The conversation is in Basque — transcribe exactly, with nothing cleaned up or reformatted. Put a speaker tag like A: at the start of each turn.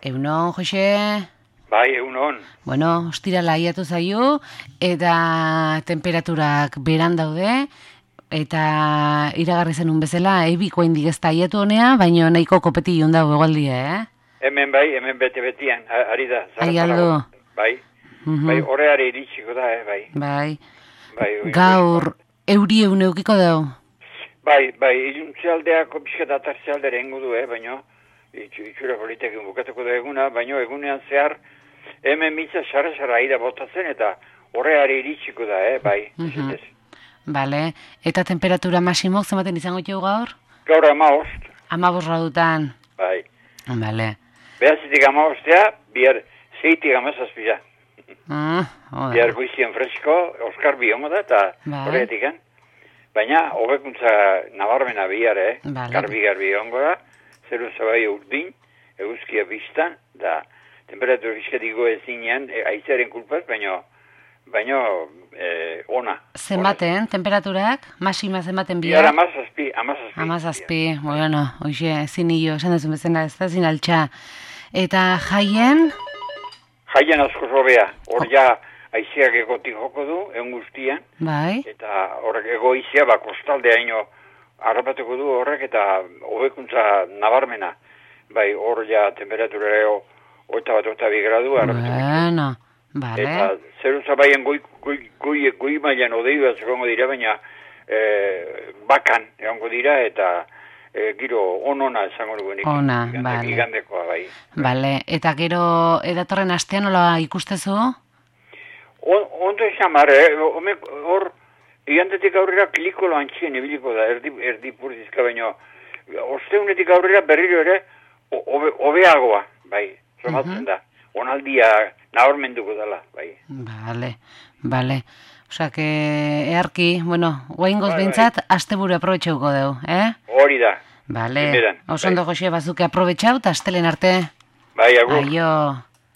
A: Egunon, Jose?
B: Bai, egunon.
A: Bueno, ostirala aiatu zaio, eta temperaturak beran daude, eta iragarri zenun bezala, ebiko indik ez da aiatu honea, baina nahiko kopeti joan dago egualdia, eh?
B: Hemen bai, hemen bete-betian, ari da.
A: Aialdo.
B: Bai,
A: Mhm.
B: bai, horreare iritsiko da, eh, bai.
A: Bai.
B: Bai,
A: Gaur, euri egun eukiko dau?
B: Bai, bai, iluntzealdeako pixka da tartzealdera ingo du, eh, baina itxura politekin bukatuko da eguna, baina egunean zehar hemen mitza xarra-xarra aira botatzen eta horreare iritsiko da, eh, bai.
A: Mhm. Bale, eta temperatura masimok zenbaten izango txeu gaur?
B: Gaur amaost.
A: Amabos gradutan.
B: Bai.
A: Bale.
B: Behazitik amaostea, bihar zeitik amazazpila.
A: Ah, oda.
B: Bihar goizien fresko, Oskar biongo da, eta
A: Bai.
B: horretik, eh? Baina, hobekuntza nabarmena bihar, eh?
A: Bale.
B: Garbi-garbi ongo da, zeru zabai urdin, eguzkia biztan, da temperatura bizkatiko ezinean, e, aizearen kulpaz, baina, baina e, ona.
A: Zenbaten, temperaturak? Masima zenbaten
B: Bihar
A: bihar?
B: amazazpi, amazazpi.
A: Amazazpi, bueno, hoxe, ezin hilo, esan duzun bezala, ez da zin altxa. Eta jaien?
B: Jaian asko zobea, hor ja aizeak egotik joko du, egun guztian,
A: Bai,
B: eta horrek egoizia, ba, kostaldea ino harrapatuko du horrek, eta hobekuntza nabarmena. Bai, hor ja temperatura eo, oita bat, oita bi gradu harrapatuko du.
A: bueno, bale.
B: Eta zeru zabaien goi, goi, goi, goi mailan odei bat egongo dira, baina e, bakan egongo dira, eta e, giro onona esango dugu nik.
A: Ona,
B: Igande-
A: bale.
B: Igandekoa, bai.
A: Bale, eta gero edatorren astean nola ikustezu?
B: On, ondo esan mar, eh? Home, hor, igandetik aurrera klikolo antxien ibiliko da, erdi, erdi purdizka, baina osteunetik aurrera berriro ere o- hobe- hobeagoa, bai, somatzen da. Onaldia nabarmenduko dela, bai.
A: Bale, bale. Osa, que earki, bueno, guaingoz
B: Bai,
A: behintzat, asteburu aprobetxeuko deu, eh?
B: Hori da.
A: Bale,
B: Primeran,
A: oso ondo
B: bai.
A: Jose bazuke aprobetxau, eta astelen arte.
B: Bai, agur.
A: Aio.